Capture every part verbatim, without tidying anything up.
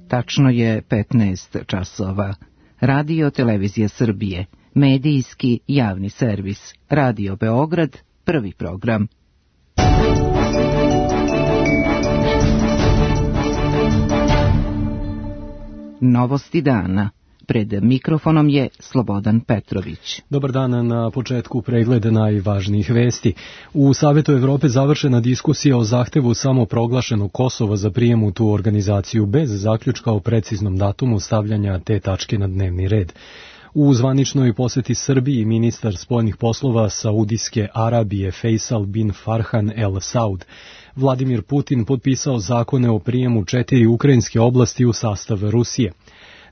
Tačno je petnaest časova. Radio Televizija Srbije, medijski javni servis, Radio Beograd, prvi program. Novosti dana. Pred mikrofonom je Slobodan Petrović. Dobar dan, na početku pregled najvažnijih vesti. U Savetu Evrope završena diskusija o zahtevu samoproglašenog Kosova za prijem u tu organizaciju bez zaključka o preciznom datumu stavljanja te tačke na dnevni red. U zvaničnoj poseti Srbiji ministar spoljnih poslova Saudijske Arabije Faisal bin Farhan El Saud Vladimir Putin potpisao zakone o prijemu četiri ukrajinske oblasti u sastav Rusije.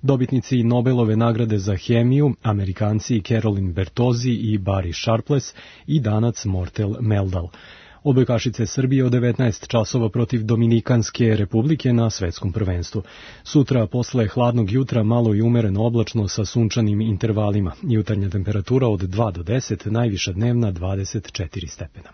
Dobitnici Nobelove nagrade za hemiju, Amerikanci Carolyn Bertozzi i Barry Sharpless i Danac Mortel Meldal. Odbojkašice Srbije od devetnaest časova protiv Dominikanske republike na svetskom prvenstvu. Sutra posle hladnog jutra malo i umereno oblačno sa sunčanim intervalima. Jutarnja temperatura od dva do deset, najviša dnevna dvadeset četiri stepena.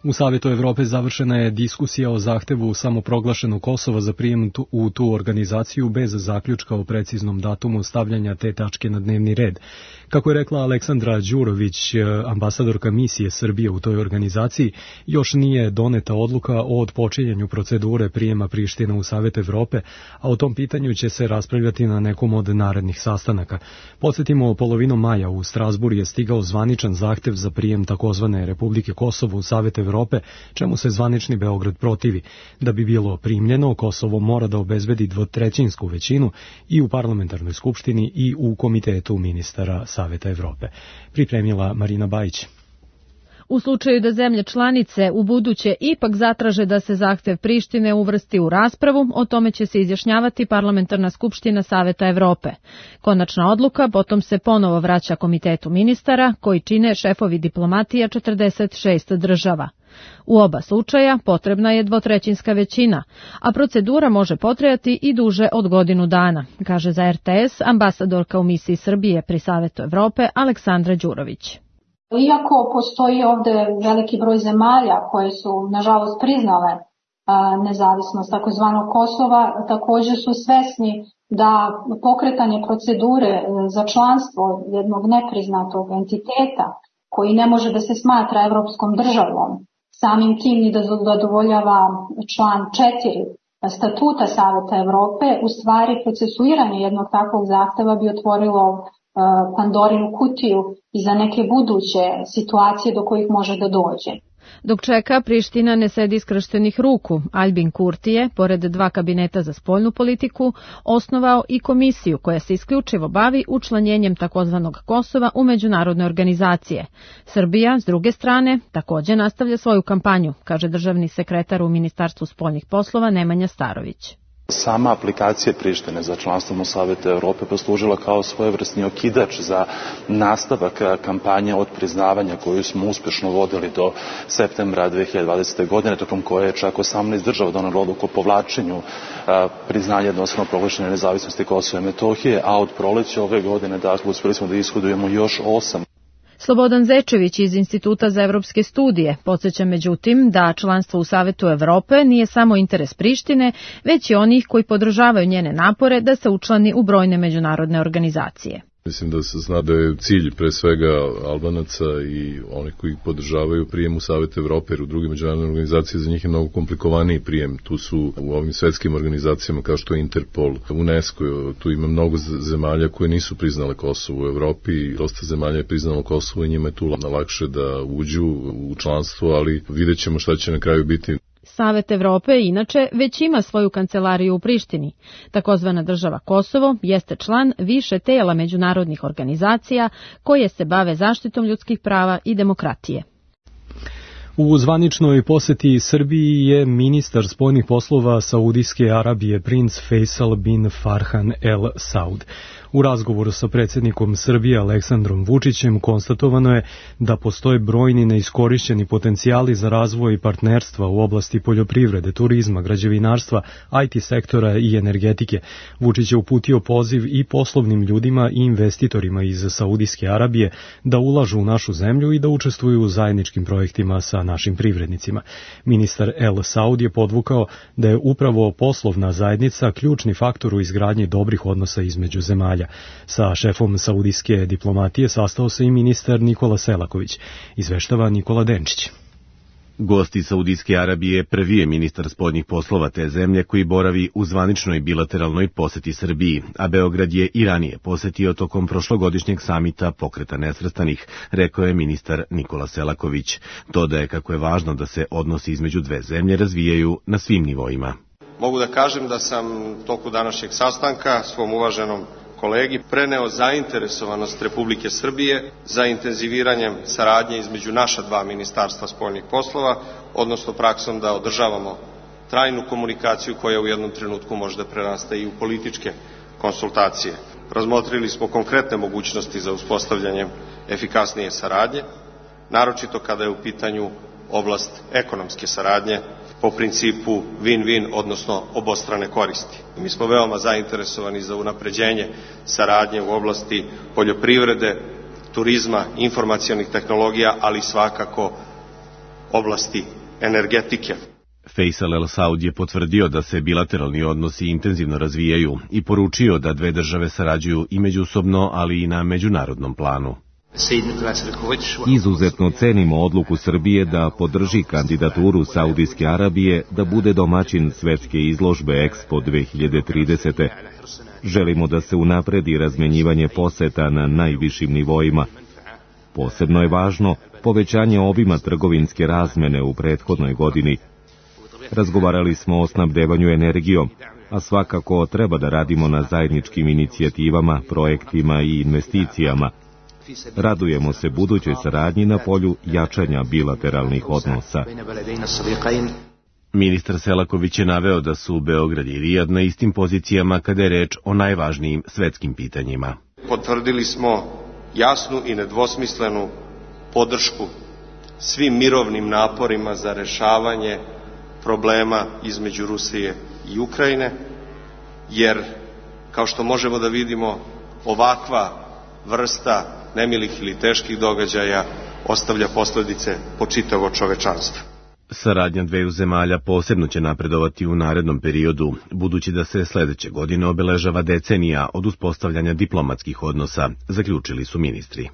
U Savetu Evrope završena je diskusija o zahtevu samoproglašenog Kosova za prijem u tu organizaciju bez zaključka o preciznom datumu stavljanja te tačke na dnevni red. Kako je rekla Aleksandra Đurović, ambasadorka misije Srbije u toj organizaciji, još nije doneta odluka o otpočinjanju procedure prijema Prištine u Savet Evrope, a o tom pitanju će se raspravljati na nekom od narednih sastanaka. Podsjetimo, polovinom maja u Strasburu je stigao zvaničan zahtev za prijem takozvane Republike Kosovo u Savet Evrope, čemu se zvanični Beograd protivi. Da bi bilo primljeno, Kosovo mora da obezbedi dvotrećinsku većinu i u parlamentarnoj skupštini i u komitetu ministara Saveta Evrope. Pripremila Marina Bajić. U slučaju da zemlje članice u buduće ipak zatraže da se zahtev Prištine uvrsti u raspravu, o tome će se izjašnjavati parlamentarna skupština Saveta Evrope. Konačna odluka potom se ponovo vraća komitetu ministara, koji čine šefovi diplomatija četrdeset šest država. U oba slučaja potrebna je dvotrećinska većina, a procedura može potrajati i duže od godinu dana, kaže za R T S ambasadorka u misiji Srbije pri Savetu Evrope Aleksandra Đurović. Iako postoji ovde veliki broj zemalja koje su, nažalost, priznale a, nezavisnost takozvanog Kosova, također su svesni da pokretanje procedure za članstvo jednog nepriznatog entiteta koji ne može da se smatra evropskom državom, samim tim i da zadovoljava član četiri statuta Saveta Evrope, u stvari procesuiranje jednog takvog zahteva bi otvorilo Pandorinu kutiju i za neke buduće situacije do kojih može da dođe. Dok čeka, Priština ne sedi skrštenih ruku. Albin Kurti je, pored dva kabineta za spoljnu politiku, osnovao i komisiju koja se isključivo bavi učlanjenjem takozvanog Kosova u međunarodne organizacije. Srbija, s druge strane, također nastavlja svoju kampanju, kaže državni sekretar u Ministarstvu spoljnih poslova Nemanja Starović. Sama aplikacija Prištine za članstvom u Savetu Evrope poslužila kao svojevrsni okidač za nastavak kampanje od priznavanja koju smo uspješno vodili do septembra dve hiljade dvadesete. godine, tokom koje je čak osamnaest država donelo odluku o povlačenju priznanja jednostrano proglašene nezavisnosti Kosova i Metohije, a od proleća ove godine, dakle, uspjeli smo da ishodujemo još osam. Slobodan Zečević iz Instituta za evropske studije podsjeća međutim da članstvo u Savetu Evrope nije samo interes Prištine, već i onih koji podržavaju njene napore da se učlani u brojne međunarodne organizacije. Mislim da se zna da je cilj pre svega Albanaca i onih koji podržavaju prijem u Savet Evrope, jer u drugim međunarodnim organizacijama za njih je mnogo komplikovaniji prijem. Tu su u ovim svetskim organizacijama kao što je Interpol, UNESCO, tu ima mnogo zemalja koje nisu priznale Kosovo u Evropi, dosta zemalja je priznalo Kosovo i njima je tu lakše da uđu u članstvo, ali vidjet ćemo šta će na kraju biti. Savet Evrope inače već ima svoju kancelariju u Prištini. Takozvana država Kosovo jeste član više tela međunarodnih organizacija koje se bave zaštitom ljudskih prava i demokratije. U zvaničnoj poseti Srbiji je ministar spoljnih poslova Saudijske Arabije princ Faisal bin Farhan El Saud. U razgovoru sa predsjednikom Srbije Aleksandrom Vučićem konstatovano je da postoje brojni neiskorišćeni potencijali za razvoj partnerstva u oblasti poljoprivrede, turizma, građevinarstva, I T sektora i energetike. Vučić je uputio poziv i poslovnim ljudima i investitorima iz Saudijske Arabije da ulažu u našu zemlju i da učestvuju u zajedničkim projektima sa našim privrednicima. Ministar El Saud je podvukao da je upravo poslovna zajednica ključni faktor u izgradnji dobrih odnosa između zemalja. Sa šefom saudijske diplomatije sastao se i ministar Nikola Selaković, izveštava Nikola Denčić. Gost iz Saudijske Arabije prvi je ministar spoljnih poslova te zemlje koji boravi u zvaničnoj bilateralnoj poseti Srbiji, a Beograd je i ranije posetio tokom prošlogodišnjeg samita Pokreta nesvrstanih, rekao je ministar Nikola Selaković. Dodaje kako je važno da se odnosi između dve zemlje razvijaju na svim nivoima. Mogu da kažem da sam toku današnjeg sastanka svom uvaženom kolegi preneo zainteresovanost Republike Srbije za intenziviranjem saradnje između naša dva ministarstva spoljnih poslova, odnosno praksom da održavamo trajnu komunikaciju koja u jednom trenutku možda prerasta i u političke konsultacije. Razmotrili smo konkretne mogućnosti za uspostavljanje efikasnije saradnje, naročito kada je u pitanju oblast ekonomske saradnje po principu win-win, odnosno obostrane koristi. Mi smo veoma zainteresovani za unapređenje saradnje u oblasti poljoprivrede, turizma, informacionih tehnologija, ali svakako oblasti energetike. Faisal El Saud je potvrdio da se bilateralni odnosi intenzivno razvijaju i poručio da dve države sarađuju i međusobno, ali i na međunarodnom planu. Izuzetno cenimo odluku Srbije da podrži kandidaturu Saudijske Arabije da bude domaćin svetske izložbe Expo dve hiljade tridesete. Želimo da se unapredi razmenjivanje poseta na najvišim nivoima. Posebno je važno povećanje obima trgovinske razmene u prethodnoj godini. Razgovarali smo o snabdevanju energijom, a svakako treba da radimo na zajedničkim inicijativama, projektima i investicijama. Radujemo se budućoj saradnji na polju jačanja bilateralnih odnosa. Ministar Selaković je naveo da su Beograd i Rijad na istim pozicijama kada je reč o najvažnijim svetskim pitanjima. Potvrdili smo jasnu i nedvosmislenu podršku svim mirovnim naporima za rešavanje problema između Rusije i Ukrajine, jer, kao što možemo da vidimo, ovakva vrsta nemilih ili teških događaja ostavlja posledice po čitavo čovečanstvo. Saradnja dveju zemalja posebno će napredovati u narednom periodu, budući da se sledeće godine obeležava decenija od uspostavljanja diplomatskih odnosa, zaključili su ministri.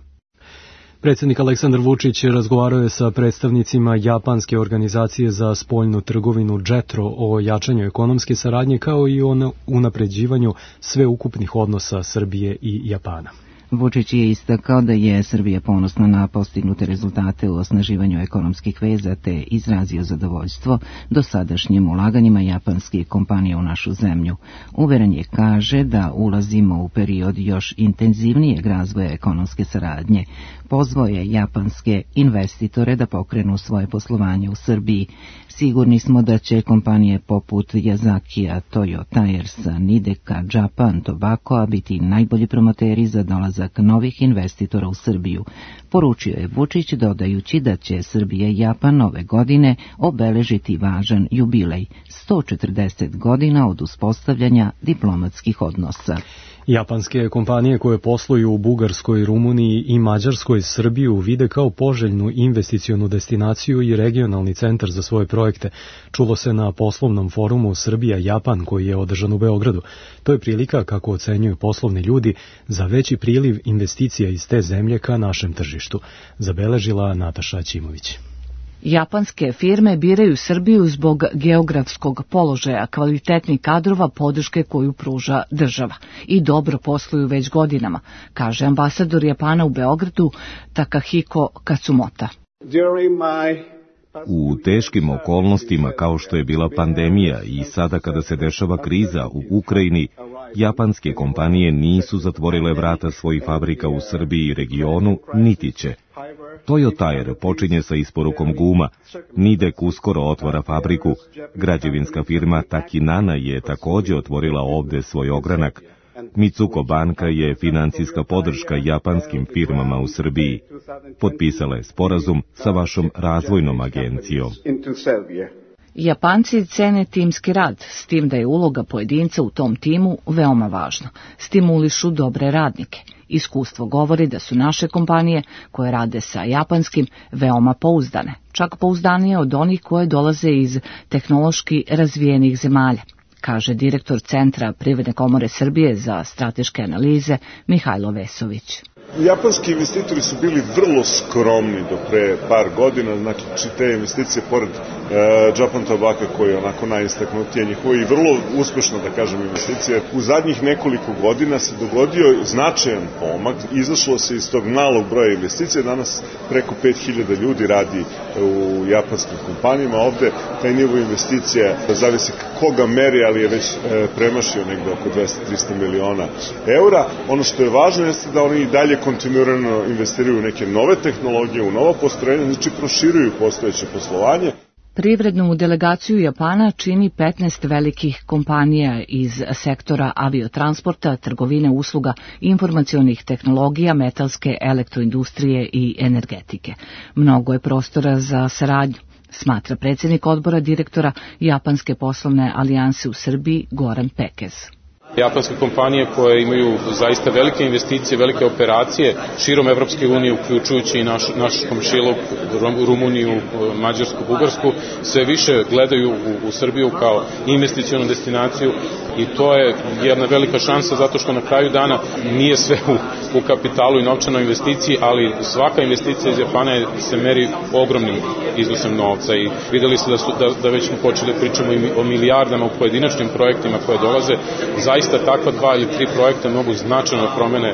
Predsjednik Aleksandar Vučić razgovarao je sa predstavnicima Japanske organizacije za spoljnu trgovinu JETRO o jačanju ekonomske saradnje kao i o unapređivanju sveukupnih odnosa Srbije i Japana. Vučić je istakao da je Srbija ponosna na postignute rezultate u osnaživanju ekonomskih veza te izrazio zadovoljstvo dosadašnjim ulaganjima japanskih kompanija u našu zemlju. Uveren je, kaže, da ulazimo u period još intenzivnijeg razvoja ekonomske saradnje. Pozvao je japanske investitore da pokrenu svoje poslovanje u Srbiji. Sigurni smo da će kompanije poput Yazakija, Toyota Airsa, Nideka, Japan, Tobacco biti najbolji promoteri za dolazak novih investitora u Srbiju. Poručio je Vučić dodajući da će Srbija i Japan ove godine obeležiti važan jubilej, sto četrdeset godina od uspostavljanja diplomatskih odnosa. Japanske kompanije koje posluju u Bugarskoj, Rumuniji i Mađarskoj Srbiju vide kao poželjnu investicionu destinaciju i regionalni centar za svoje projekte. Čulo se na poslovnom forumu Srbija-Japan koji je održan u Beogradu. To je prilika, kako ocenjuju poslovni ljudi, za veći priliv investicija iz te zemlje ka našem tržištu, zabeležila Nataša Ćimović. Japanske firme biraju Srbiju zbog geografskog položaja, kvalitetnih kadrova, podrške koju pruža država. I dobro posluju već godinama, kaže ambasador Japana u Beogradu Takahiko Katsumota. U teškim okolnostima kao što je bila pandemija i sada kada se dešava kriza u Ukrajini, japanske kompanije nisu zatvorile vrata svojih fabrika u Srbiji i regionu, niti će. Toyota Air počinje sa isporukom guma, Nidek uskoro otvara fabriku, građevinska firma Takinana je takođe otvorila ovde svoj ogranak. Mitsuko banka je financijska podrška japanskim firmama u Srbiji. Potpisala je sporazum sa vašom razvojnom agencijom. Japanci cene timski rad, s tim da je uloga pojedinca u tom timu veoma važna. Stimulišu dobre radnike. Iskustvo govori da su naše kompanije koje rade sa japanskim veoma pouzdane, čak pouzdanije od onih koje dolaze iz tehnološki razvijenih zemalja, kaže direktor Centra Privredne komore Srbije za strateške analize Mihajlo Vesović. Japanski investitori su bili vrlo skromni do pre par godina, znači te investicije pored e, Japan Tobacco koji je onako najistaknutije njihovo i vrlo uspešno, da kažem, investicije. U zadnjih nekoliko godina se dogodio značajan pomak, izašlo se iz tog malog broja investicija, danas preko pet hiljada ljudi radi u japanskim kompanijama, ovde taj nivo investicija, zavisi koga meri, ali je već e, premašio negde oko dvesta do trista miliona eura. Ono što je važno jeste da oni i dalje kontinuirano investiraju u neke nove tehnologije, u novo postrojenje, znači proširuju postojeće poslovanje. Privrednu delegaciju Japana čini petnaest velikih kompanija iz sektora aviotransporta, trgovine, usluga, informacionih tehnologija, metalske, elektroindustrije i energetike. Mnogo je prostora za saradnju, smatra predsjednik odbora direktora Japanske poslovne alijanse u Srbiji Goran Pekez. Japanske kompanije koje imaju zaista velike investicije, velike operacije širom Evropske unije, uključujući i naš, naš komšiluk, Rumuniju, Mađarsku, Bugarsku, sve više gledaju u, u Srbiju kao investicionu destinaciju i to je jedna velika šansa zato što na kraju dana nije sve u, u kapitalu i novčanoj investiciji, ali svaka investicija iz Japana se meri ogromnim iznosom novca i videli ste da, su, da, da već smo počeli pričamo i o milijardama u pojedinačnim projektima koje dolaze. Zaista takva dva ili tri projekta mogu značajno promene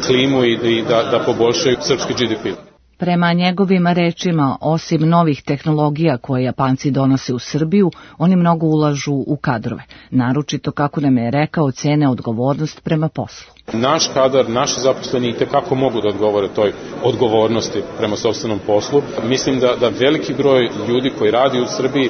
klimu i, i da, da poboljšaju srpski G D P. Prema njegovim rečima, osim novih tehnologija koje Japanci donose u Srbiju, oni mnogo ulažu u kadrove, naročito, kako nam je rekao, cene odgovornost prema poslu. Naš kadar, naši zaposleni i tekako mogu da odgovore toj odgovornosti prema sopstvenom poslu. Mislim da, da veliki broj ljudi koji radi u Srbiji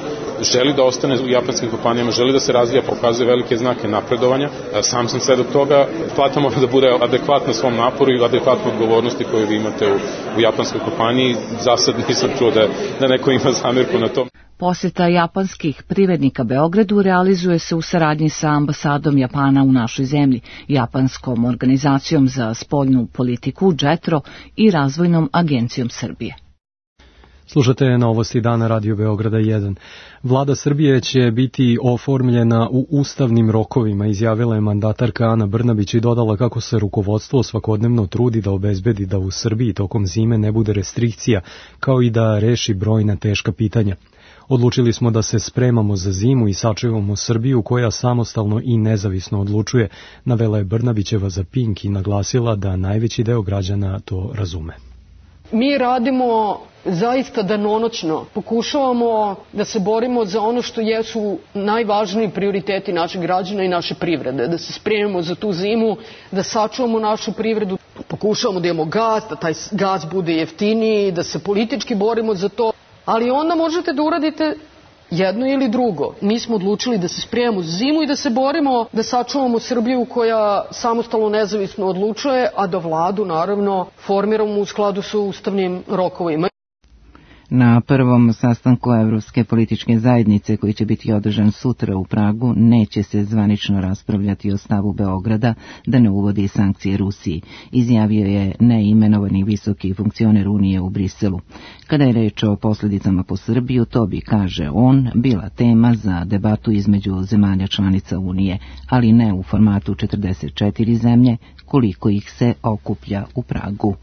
želi da ostane u japanskim kompanijama, želi da se razvija, pokazuje velike znake napredovanja. Sam sam sve do toga, plata mora da bude adekvatna svom naporu i adekvatna odgovornosti koju vi imate u, u japanskoj kompaniji. Za sad nisam čuo da, da neko ima zamirku na tom. Poseta japanskih privrednika Beogradu realizuje se u saradnji sa ambasadom Japana u našoj zemlji, Japanskom organizacijom za spoljnu politiku JETRO i Razvojnom agencijom Srbije. Slušate novosti dana Radio Beograda jedan. Vlada Srbije će biti oformljena u ustavnim rokovima, izjavila je mandatarka Ana Brnabić i dodala kako se rukovodstvo svakodnevno trudi da obezbedi da u Srbiji tokom zime ne bude restrikcija, kao i da reši brojna teška pitanja. Odlučili smo da se spremamo za zimu i sačuvamo Srbiju koja samostalno i nezavisno odlučuje, navela je Brnabićeva za Pink i naglasila da najveći deo građana to razume. Mi radimo zaista danonoćno, pokušavamo da se borimo za ono što jesu najvažniji prioriteti naših građana i naše privrede, da se spremimo za tu zimu, da sačuvamo našu privredu, pokušavamo da imamo gas, da taj gas bude jeftiniji, da se politički borimo za to, ali onda možete da uradite jedno ili drugo. Mi smo odlučili da se spremamo za zimu i da se borimo da sačuvamo Srbiju koja samostalno nezavisno odlučuje, a da vladu naravno formiramo u skladu sa ustavnim rokovima. Na prvom sastanku Evropske političke zajednice koji će biti održan sutra u Pragu neće se zvanično raspravljati o stavu Beograda da ne uvodi sankcije Rusiji, izjavio je neimenovani visoki funkcioner Unije u Briselu. Kada je reč o posljedicama po Srbiju, to bi, kaže on, bila tema za debatu između zemalja članica Unije, ali ne u formatu četrdeset četiri zemlje koliko ih se okuplja u Pragu.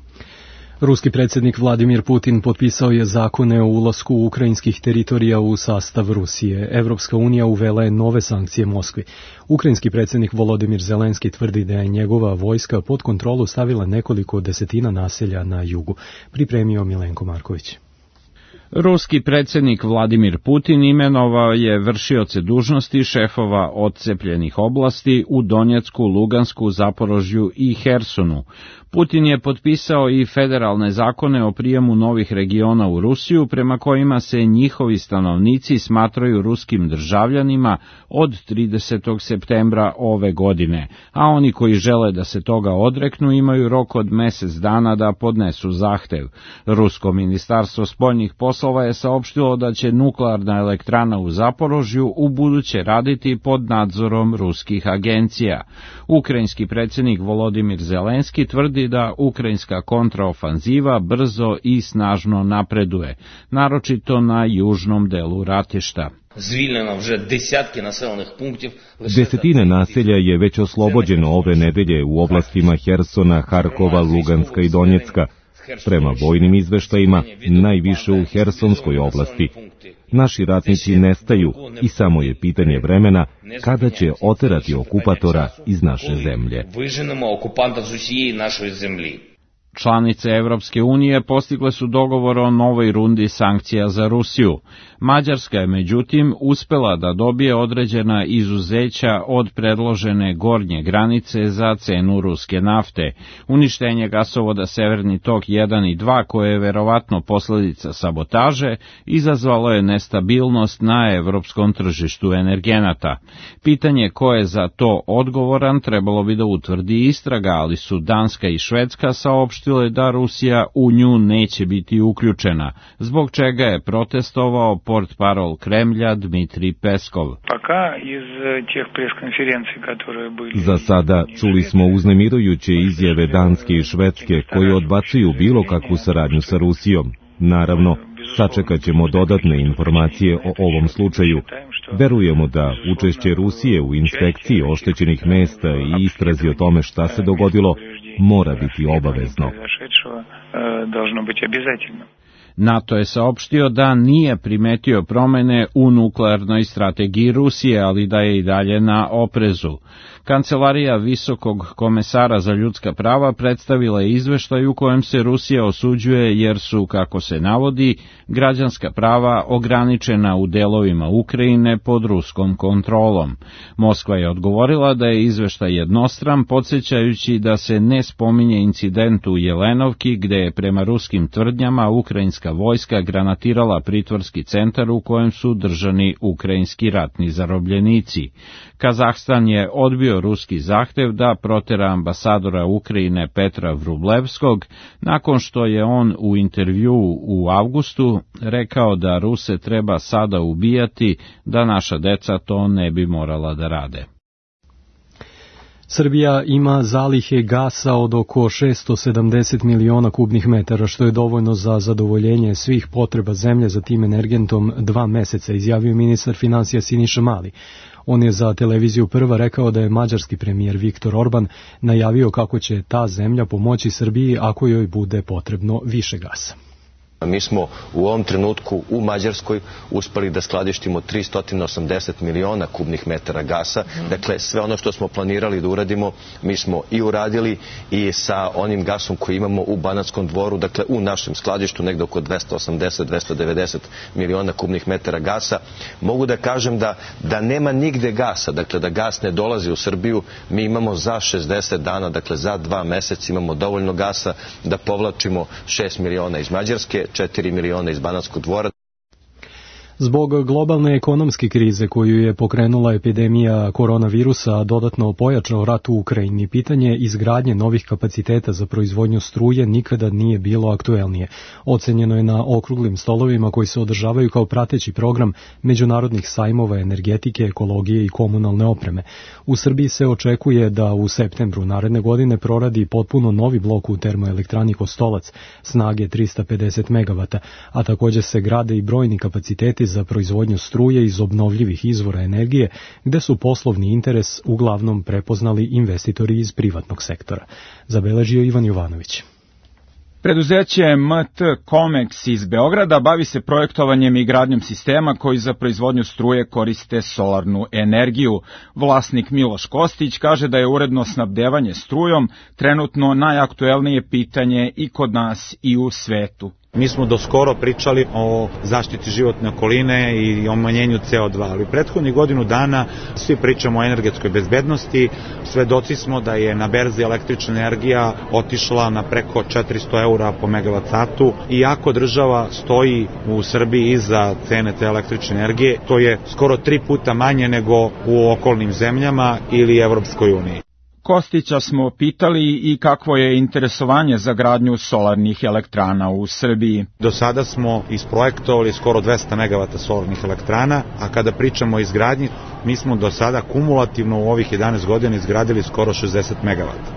Ruski predsjednik Vladimir Putin potpisao je zakone o ulasku ukrajinskih teritorija u sastav Rusije. Evropska unija uvela je nove sankcije Moskvi. Ukrajinski predsjednik Volodimir Zelenski tvrdi da je njegova vojska pod kontrolu stavila nekoliko desetina naselja na jugu. Pripremio Milenko Marković. Ruski predsjednik Vladimir Putin imenovao je vršioce dužnosti šefova odcepljenih oblasti u Donjecku, Lugansku, Zaporožju i Hersonu. Putin je potpisao i federalne zakone o prijemu novih regiona u Rusiju, prema kojima se njihovi stanovnici smatraju ruskim državljanima od tridesetog septembra ove godine, a oni koji žele da se toga odreknu imaju rok od mesec dana da podnesu zahtev. Rusko ministarstvo spoljnih poslova je saopštilo da će nuklearna elektrana u Zaporožju u buduće raditi pod nadzorom ruskih agencija. Ukrajinski predsjednik Volodimir Zelenski tvrdi da ukrajinska kontraofanziva brzo i snažno napreduje, naročito na južnom delu ratišta. Desetine naselja je već oslobođeno ove nedelje u oblastima Hersona, Harkova, Luganska i Donjecka. Prema vojnim izveštajima, najviše u Hersonskoj oblasti. Naši ratnici nestaju i samo je pitanje vremena kada će oterati okupatora iz naše zemlje. Članice Evropske unije postigle su dogovor o novoj rundi sankcija za Rusiju. Mađarska je međutim uspela da dobije određena izuzeća od predložene gornje granice za cenu ruske nafte. Uništenje gasovoda Severni tok jedan i dva, koje je verovatno posljedica sabotaže, izazvalo je nestabilnost na evropskom tržištu energenata. Pitanje ko je za to odgovoran trebalo bi da utvrdi istraga, ali su Danska i Švedska saopštile da Rusija u nju neće biti uključena, zbog čega je protestovao portparol Kremlja Dmitrij Peskov. Za sada čuli smo uznemirujuće izjave Danske i Švedske koje odbacuju bilo kakvu saradnju sa Rusijom. Naravno, sačekat ćemo dodatne informacije o ovom slučaju. Verujemo da učešće Rusije u inspekciji oštećenih mesta i istrazi o tome šta se dogodilo mora biti obavezno. NATO je saopštio da nije primetio promene u nuklearnoj strategiji Rusije, ali da je i dalje na oprezu. Kancelarija Visokog komesara za ljudska prava predstavila je izveštaj u kojem se Rusija osuđuje jer su, kako se navodi, građanska prava ograničena u delovima Ukrajine pod ruskom kontrolom. Moskva je odgovorila da je izveštaj jednostran, podsjećajući da se ne spominje incident u Jelenovki, gde je prema ruskim tvrdnjama ukrajinska vojska granatirala pritvorski centar u kojem su držani ukrajinski ratni zarobljenici. Kazahstan je odbio ruski zahtev da protera ambasadora Ukrajine Petra Vrublevskog, nakon što je on u intervjuu u avgustu rekao da Ruse treba sada ubijati, da naša deca to ne bi morala da rade. Srbija ima zalihe gasa od oko šesto sedamdeset miliona kubnih metara, što je dovoljno za zadovoljenje svih potreba zemlje za tim energentom dva meseca, izjavio ministar finansija Siniša Mali. On je za televiziju Prva rekao da je mađarski premijer Viktor Orban najavio kako će ta zemlja pomoći Srbiji ako joj bude potrebno više gasa. Mi smo u ovom trenutku u Mađarskoj uspeli da skladištimo tristo osamdeset miliona kubnih metara gasa. Dakle, sve ono što smo planirali da uradimo, mi smo i uradili i sa onim gasom koji imamo u Banatskom Dvoru, dakle u našem skladištu negde oko dvesta osamdeset do dvesta devedeset miliona kubnih metara gasa. Mogu da kažem da, da nema nigde gasa, dakle da gas ne dolazi u Srbiju. Mi imamo za šezdeset dana, dakle za dva meseca imamo dovoljno gasa da povlačimo šest miliona iz Mađarske, četiri miliona iz Banatskog Dvora. Zbog globalne ekonomske krize koju je pokrenula epidemija koronavirusa, a dodatno pojačao rat u Ukrajini, pitanje izgradnje novih kapaciteta za proizvodnju struje nikada nije bilo aktuelnije. Ocenjeno je na okruglim stolovima koji se održavaju kao prateći program međunarodnih sajmova energetike, ekologije i komunalne opreme. U Srbiji se očekuje da u septembru naredne godine proradi potpuno novi blok u termoelektrani Kostolac snage trista pedeset megavata, a također se grade i brojni kapaciteti za proizvodnju struje iz obnovljivih izvora energije, gde su poslovni interes uglavnom prepoznali investitori iz privatnog sektora. Zabeležio Ivan Jovanović. Preduzeće M T Comex iz Beograda bavi se projektovanjem i gradnjom sistema koji za proizvodnju struje koriste solarnu energiju. Vlasnik Miloš Kostić kaže da je uredno snabdevanje strujom trenutno najaktuelnije pitanje i kod nas i u svetu. Mi smo doskoro pričali o zaštiti životne okoline i o manjenju C O dva, ali prethodnih godinu dana svi pričamo o energetskoj bezbednosti, svedoci smo da je na berzi električna energija otišla na preko četiristo eura po megavat satu, iako država stoji u Srbiji iza cene te električne energije, to je skoro tri puta manje nego u okolnim zemljama ili Evropskoj uniji. Kostića smo pitali i kakvo je interesovanje za gradnju solarnih elektrana u Srbiji. Do sada smo isprojektovali skoro dvesta megavata solarnih elektrana, a kada pričamo o izgradnji, mi smo do sada kumulativno u ovih jedanaest godina izgradili skoro šezdeset megavata.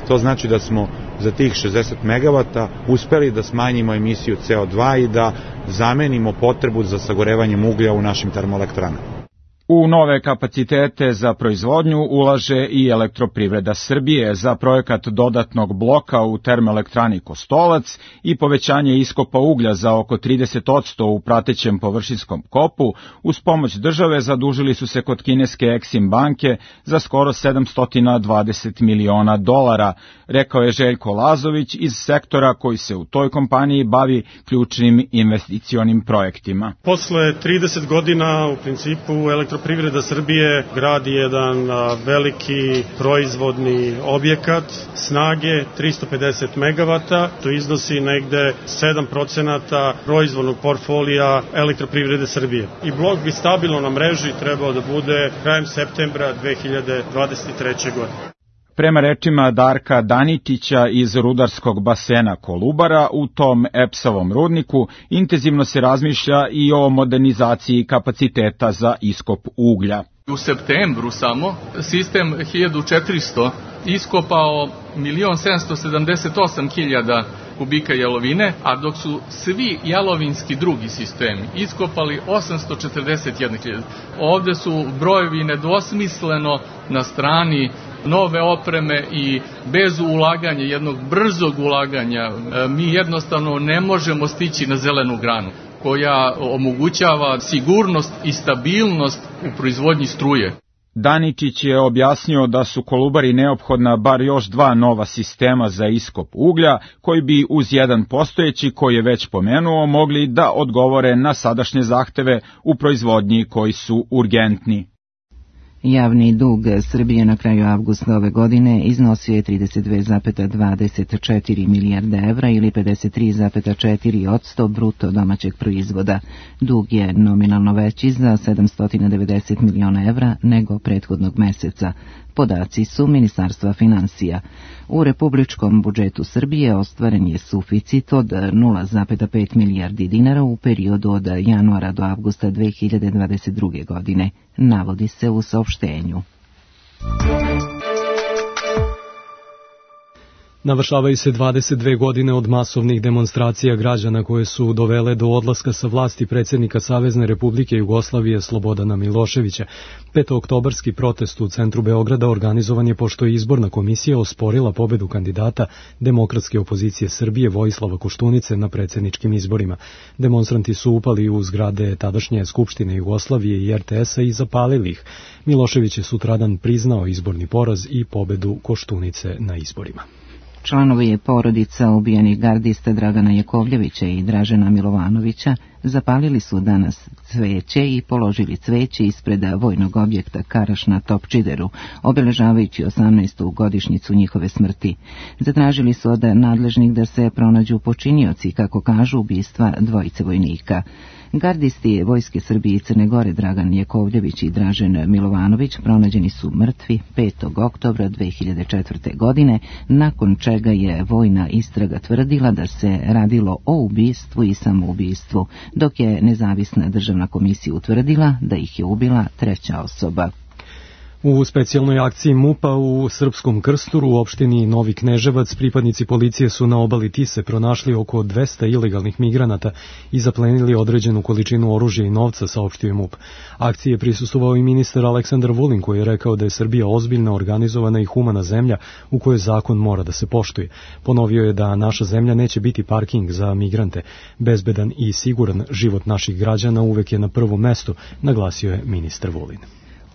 To znači da smo za tih šezdeset megavata uspeli da smanjimo emisiju C O dva i da zamenimo potrebu za sagorevanjem uglja u našim termoelektranama. U nove kapacitete za proizvodnju ulaže i Elektroprivreda Srbije za projekat dodatnog bloka u termoelektrani Kostolac i povećanje iskopa uglja za oko trideset posto u pratećem površinskom kopu. Uz pomoć države zadužili su se kod kineske Exim banke za skoro sedamsto dvadeset miliona dolara, rekao je Željko Lazović iz sektora koji se u toj kompaniji bavi ključnim investicionim projektima. Posle trideset godina u principu Elektroprivreda Srbije gradi jedan a, veliki proizvodni objekat snage tristo pedeset megavata, to iznosi negde sedam procenata proizvodnog portfolija Elektroprivrede Srbije. I blok bi stabilno na mreži trebao da bude krajem septembra dve hiljade dvadeset treće. godine. Prema rečima Darka Danitića iz rudarskog basena Kolubara, u tom E P S-ovom rudniku intenzivno se razmišlja i o modernizaciji kapaciteta za iskop uglja. U septembru samo sistem hiljadu četiristo iskopao milion sedamsto sedamdeset osam hiljada kubika jalovine, a dok su svi jalovinski drugi sistemi iskopali osamsto četrdeset jedna hiljada. Ovde su brojevi nedvosmisleno na strani nove opreme i bez ulaganja, jednog brzog ulaganja, mi jednostavno ne možemo stići na zelenu granu koja omogućava sigurnost i stabilnost u proizvodnji struje. Daničić je objasnio da su Kolubari neophodna bar još dva nova sistema za iskop uglja, koji bi uz jedan postojeći, koji je već pomenuo, mogli da odgovore na sadašnje zahteve u proizvodnji koji su urgentni. Javni dug Srbije na kraju avgusta ove godine iznosio je trideset dve zarez dvadeset četiri milijarde evra ili pedeset tri zarez četiri posto bruto domaćeg proizvoda. Dug je nominalno veći za sedamsto devedeset miliona evra nego prethodnog meseca. Podaci su Ministarstva finansija. U republičkom budžetu Srbije ostvaren je suficit od nula zarez pet milijardi dinara u periodu od januara do avgusta dve hiljade dvadeset druge. godine, navodi se u saopštenju. Navršavaju se dvadeset dve godine od masovnih demonstracija građana koje su dovele do odlaska sa vlasti predsjednika Savezne Republike Jugoslavije Slobodana Miloševića. Petooktobarski protest u centru Beograda organizovan je pošto je izborna komisija osporila pobedu kandidata demokratske opozicije Srbije Vojislava Koštunice na predsjedničkim izborima. Demonstranti su upali u zgrade tadašnje Skupštine Jugoslavije i R T S-a i zapalili ih. Milošević je sutradan priznao izborni poraz i pobedu Koštunice na izborima. Članovi porodica ubijenih gardista Dragana Jakovljevića i Dražena Milovanovića zapalili su danas cveće i položili cveće ispred vojnog objekta Karaš na Topčideru, obeležavajući osamnaestu godišnjicu njihove smrti. Zatražili su od nadležnih da se pronađu počinioci, kako kažu, ubistva dvojice vojnika. Gardisti Vojske Srbije i Crne Gore Dragan Jakovljević i Dražen Milovanović pronađeni su mrtvi petog oktobra dve hiljade četvrte. godine, nakon čega je vojna istraga tvrdila da se radilo o ubistvu i samoubistvu, dok je nezavisna državna komisija utvrdila da ih je ubila treća osoba. U specijalnoj akciji MUP-a u Srpskom Krsturu u opštini Novi Kneževac pripadnici policije su na obali Tise pronašli oko dvesta ilegalnih migranata i zaplenili određenu količinu oružja i novca, saopštio je MUP. Akciji je prisustvovao i ministar Aleksandar Vulin, koji je rekao da je Srbija ozbiljna, organizovana i humana zemlja u kojoj zakon mora da se poštuje. Ponovio je da naša zemlja neće biti parking za migrante. Bezbedan i siguran život naših građana uvek je na prvom mestu, naglasio je ministar Vulin.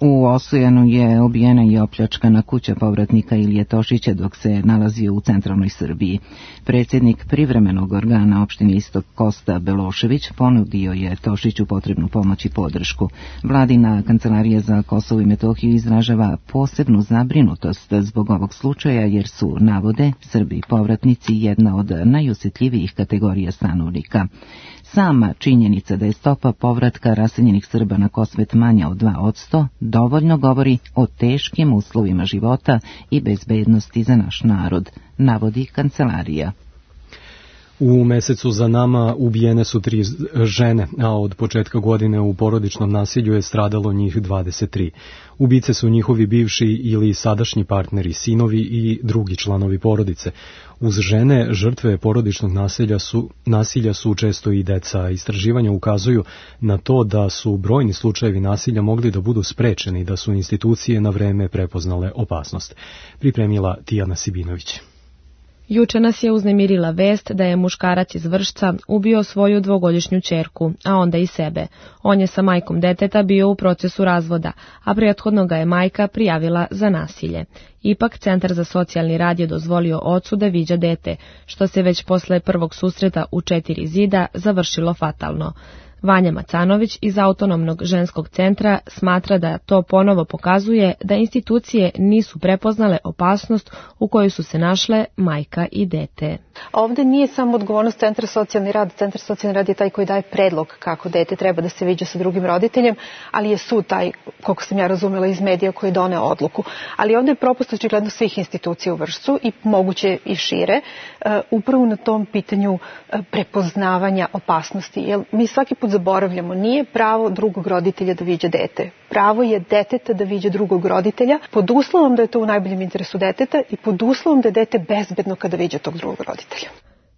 U Osojanu je obijena i opljačkana kuća povratnika Ilije Tošića dok se nalazio u centralnoj Srbiji. Predsjednik privremenog organa opštine Istok Kosta Belošević ponudio je Tošiću potrebnu pomoć i podršku. Vladina kancelarija za Kosovo i Metohiju izražava posebnu zabrinutost zbog ovog slučaja jer su, navode, Srbi povratnici jedna od najosjetljivijih kategorija stanovnika. Sama činjenica da je stopa povratka raseljenih Srba na Kosmet manja od dva posto dovoljno govori o teškim uslovima života i bezbednosti za naš narod, navodi kancelarija. U mesecu za nama ubijene su tri žene, a od početka godine u porodičnom nasilju je stradalo njih dvadeset tri. Ubice su njihovi bivši ili sadašnji partneri, sinovi i drugi članovi porodice. Uz žene, žrtve porodičnog nasilja su, nasilja su često i deca. Istraživanja ukazuju na to da su brojni slučajevi nasilja mogli da budu sprečeni, da su institucije na vreme prepoznale opasnost. Pripremila Tijana Sibinović. Juče nas je uznemirila vest da je muškarac iz Vršca ubio svoju dvogodišnju ćerku, a onda i sebe. On je sa majkom deteta bio u procesu razvoda, a prethodno ga je majka prijavila za nasilje. Ipak, Centar za socijalni rad je dozvolio ocu da viđa dete, što se već posle prvog susreta u četiri zida završilo fatalno. Vanja Macanović iz Autonomnog ženskog centra smatra da to ponovo pokazuje da institucije nisu prepoznale opasnost u kojoj su se našle majka i dete. Ovde nije samo odgovornost Centra socijalni rad. Centar socijalni rad je taj koji daje predlog kako dete treba da se viđa sa drugim roditeljem, ali je sud taj, koliko sam ja razumela iz medija, koji doneo odluku. Ali ovde je propust očigledno svih institucija u Vršcu i moguće i šire, upravo na tom pitanju prepoznavanja opasnosti. Jer mi svaki put zaboravljamo, nije pravo drugog roditelja da viđa dete. Pravo je deteta da viđa drugog roditelja, pod uslovom da je to u najboljem interesu deteta i pod uslovom da je dete bezbedno kada viđa tog drugog roditelja.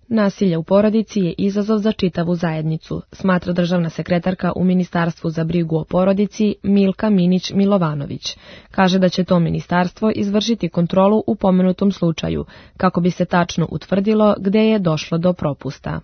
Nasilje u porodici je izazov za čitavu zajednicu, smatra državna sekretarka u Ministarstvu za brigu o porodici Milka Minić-Milovanović. Kaže da će to ministarstvo izvršiti kontrolu u pomenutom slučaju, kako bi se tačno utvrdilo gde je došlo do propusta.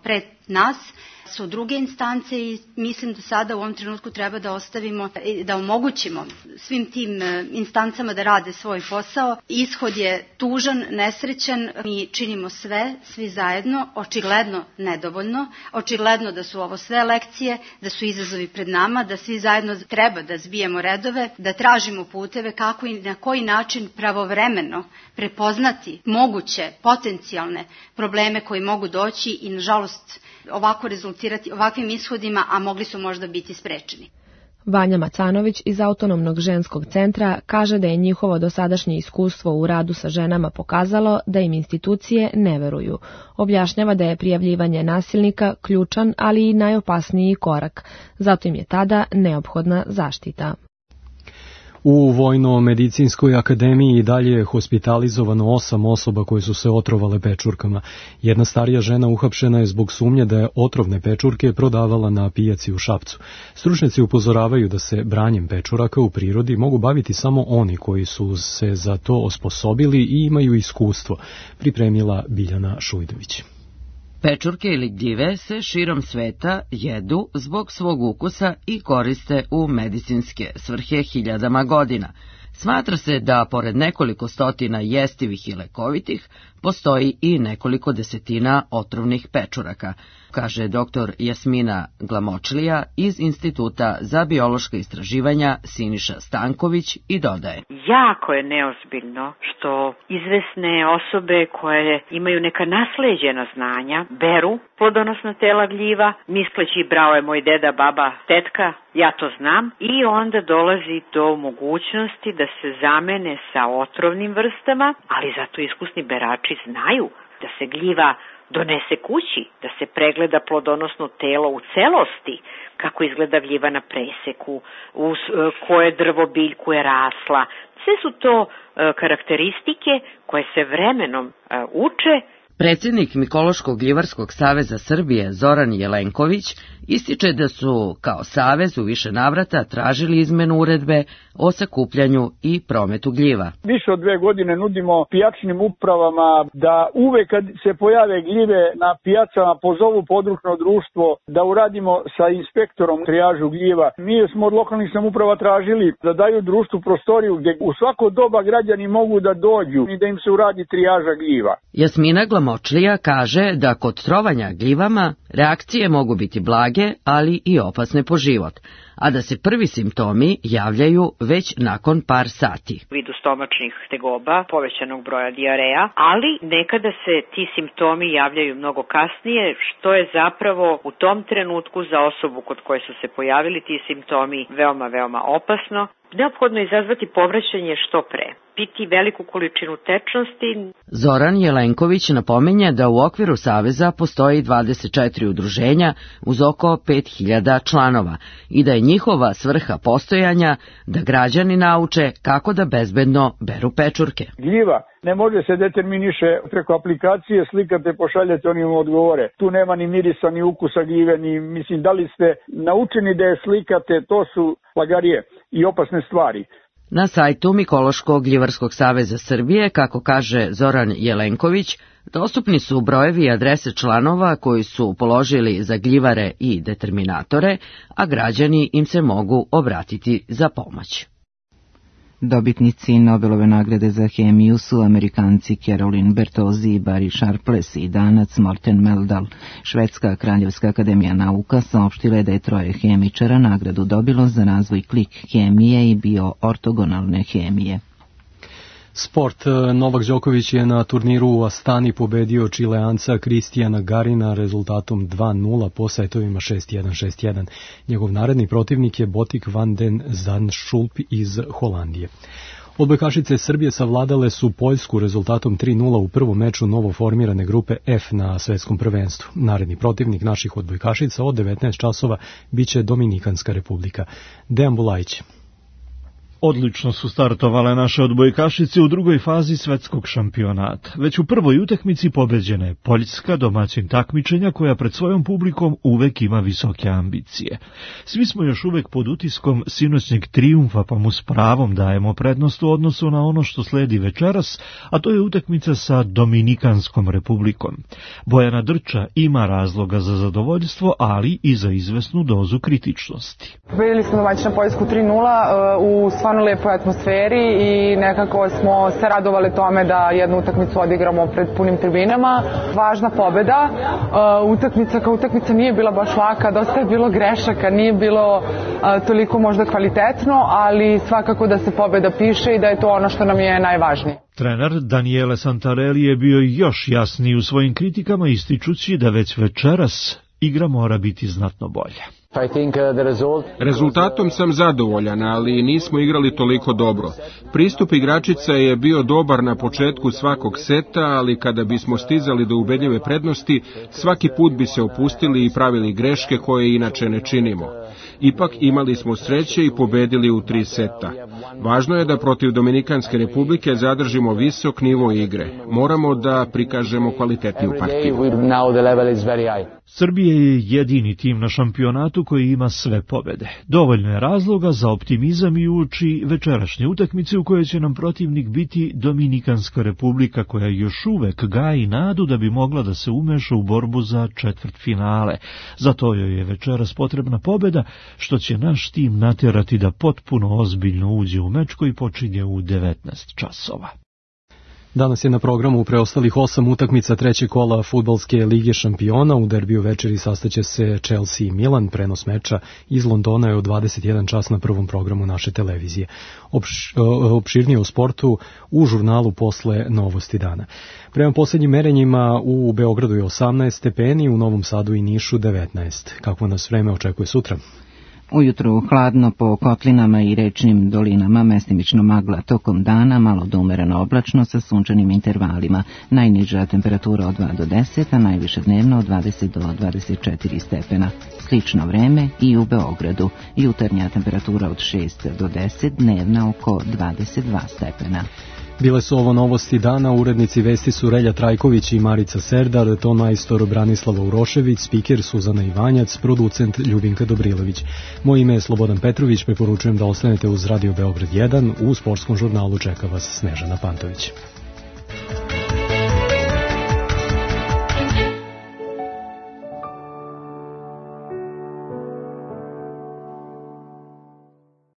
Pred nas su druge instance i mislim da sada u ovom trenutku treba da ostavimo, da omogućimo svim tim instancama da rade svoj posao. Ishod je tužan, nesrećan, mi činimo sve, svi zajedno, očigledno nedovoljno, očigledno da su ovo sve lekcije, da su izazovi pred nama, da svi zajedno treba da zbijemo redove, da tražimo puteve kako i na koji način pravovremeno prepoznati moguće potencijalne probleme koji mogu doći i nažalost ovako rezultirati ovakvim ishodima, a mogli su možda biti sprečeni. Vanja Macanović iz Autonomnog ženskog centra kaže da je njihovo dosadašnje iskustvo u radu sa ženama pokazalo da im institucije ne veruju. Objašnjava da je prijavljivanje nasilnika ključan, ali i najopasniji korak. Zato im je tada neophodna zaštita. U Vojno-medicinskoj akademiji i dalje je hospitalizovano osam osoba koje su se otrovale pečurkama. Jedna starija žena uhapšena je zbog sumnje da je otrovne pečurke prodavala na pijaci u Šapcu. Stručnjaci upozoravaju da se branjem pečuraka u prirodi mogu baviti samo oni koji su se za to osposobili i imaju iskustvo, pripremila Biljana Šujdović. Pečurke ili gljive se širom sveta jedu zbog svog ukusa i koriste u medicinske svrhe hiljadama godina. Smatra se da, pored nekoliko stotina jestivih i lekovitih, postoji i nekoliko desetina otrovnih pečuraka, kaže doktor Jasmina Glamočlija iz Instituta za biološka istraživanja Siniša Stanković i dodaje. Jako je neozbiljno što izvesne osobe koje imaju neka nasleđena znanja beru plodonosna tela gljiva, misleći brao je moj deda, baba, tetka, ja to znam, i onda dolazi do mogućnosti da se zamene sa otrovnim vrstama, ali zato iskusni berači znaju da se gljiva donese kući, da se pregleda plodonosno telo u celosti, kako izgleda gljiva na preseku, uz koje drvo biljku je rasla. Sve su to karakteristike koje se vremenom uče. Predsjednik Mikološko-gljivarskog saveza Srbije Zoran Jelenković ističe da su kao savez u više navrata tražili izmenu uredbe o sakupljanju i prometu gljiva. Više od dve godine nudimo pijačnim upravama da uvek kad se pojave gljive na pijacama pozovu područno društvo da uradimo sa inspektorom trijažu gljiva. Mi smo od lokalnih samouprava tražili da daju društvu prostoriju gdje u svako doba građani mogu da dođu i da im se uradi trijaža gljiva. Jasmina Glamočlija kaže da kod trovanja gljivama reakcije mogu biti blage, ali i opasne po život, a da se prvi simptomi javljaju već nakon par sati. Vidu stomačnih tegoba, povećanog broja dijareja, ali nekada se ti simptomi javljaju mnogo kasnije, što je zapravo u tom trenutku za osobu kod koje su se pojavili ti simptomi veoma, veoma opasno. Neophodno je izazvati povraćanje što pre, piti veliku količinu tečnosti. Zoran Jelenković napominje da u okviru saveza postoji dvadeset četiri udruženja uz oko pet hiljada članova i da je njihova svrha postojanja da građani nauče kako da bezbedno beru pečurke. Gljiva ne može se determiniše preko aplikacije, slikate, pošaljete, oni im odgovore. Tu nema ni mirisa, ni ukusa gljive, ni, mislim, da li ste naučeni da je slikate, to su lagarije i opasne stvari. Na sajtu Mikološko-gljivarskog saveza Srbije, kako kaže Zoran Jelenković, dostupni su brojevi i adrese članova koji su položili za gljivare i determinatore, a građani im se mogu obratiti za pomoć. Dobitnici Nobelove nagrade za hemiju su Amerikanci Carolyn Bertozzi i Barry Sharpless i Danac Morten Meldal. Švedska kraljevska akademija nauka saopštila je da je troje hemičara nagradu dobilo za razvoj klik hemije i bioortogonalne hemije. Sport. Novak Đoković je na turniru u Astani pobedio Čileanca Kristijana Garina rezultatom dva nula po setovima šest jedan šest jedan. Njegov naredni protivnik je Botik van den Zandschulp iz Holandije. Odbojkašice Srbije savladale su Poljsku rezultatom tri nula u prvom meču novoformirane grupe F na svetskom prvenstvu. Naredni protivnik naših odbojkašica od devetnaest časova biće Dominikanska republika. Dejan Bulajić. Odlično su startovale naše odbojkašice u drugoj fazi svetskog šampionata. Već u prvoj utakmici pobeđena je Poljska, domaćin takmičenja koja pred svojom publikom uvek ima visoke ambicije. Svi smo još uvek pod utiskom sinoćnjeg trijumfa, pa mu s pravom dajemo prednost u odnosu na ono što sledi večeras, a to je utakmica sa Dominikanskom republikom. Bojana Drča ima razloga za zadovoljstvo, ali i za izvesnu dozu kritičnosti. Pobedili smo domaćina Poljsku tri nula u stvarno lepoj atmosferi i nekako smo se radovali tome da jednu utakmicu odigramo pred punim tribinama. Važna pobeda. Utakmica kao utakmica nije bila baš laka, dosta je bilo grešaka, nije bilo toliko možda kvalitetno, ali svakako da se pobeda piše i da je to ono što nam je najvažnije. Trener Daniele Santarelli je bio još jasniji u svojim kritikama, ističući da već večeras igra mora biti znatno bolja. Rezultatom sam zadovoljan, ali nismo igrali toliko dobro. Pristup igračica je bio dobar na početku svakog seta, ali kada bismo stizali do ubedljive prednosti, svaki put bi se opustili i pravili greške koje inače ne činimo. Ipak imali smo sreće i pobedili u tri seta. Važno je da protiv Dominikanske republike zadržimo visok nivo igre. Moramo da prikažemo kvalitetniju partiju. Srbija je jedini tim na šampionatu koji ima sve pobede. Dovoljno je razloga za optimizam i uoči večerašnje utakmice u kojoj će nam protivnik biti Dominikanska republika, koja još uvek gaji nadu da bi mogla da se umeša u borbu za četvrtfinale. Zato joj je večeras potrebna pobeda, što će naš tim natjerati da potpuno ozbiljno uđe u meč koji počinje u devetnaest časova. Danas je na programu preostalih osam utakmica trećeg kola Fudbalske lige šampiona. U derbiju večeri sastaće se Chelsea i Milan. Prenos meča iz Londona je u dvadeset jedan čas na prvom programu naše televizije. Opš, opširnije o sportu u žurnalu posle Novosti dana. Prema posljednjim merenjima u Beogradu je osamnaest stepeni, u Novom Sadu i Nišu devetnaest. Kako nas vreme očekuje sutra? Ujutru hladno po kotlinama i rečnim dolinama, mestimično magla tokom dana, malo do umereno oblačno sa sunčanim intervalima. Najniža temperatura od dva do deset, a najviše dnevno od dvadeset do dvadeset četiri stepena. Slično vreme i u Beogradu. Jutarnja temperatura od šest do deset, dnevna oko dvadeset dva stepena. Bile su ovo novosti dana, urednici vesti su Relja Trajković i Marica Serdar, ton majstor Branislava Urošević, spiker Suzana Ivanjac, producent Ljubinka Dobrilović. Moje ime je Slobodan Petrović, preporučujem da ostanete uz Radio Beograd jedan, u sportskom žurnalu čeka vas Snežana Pantović.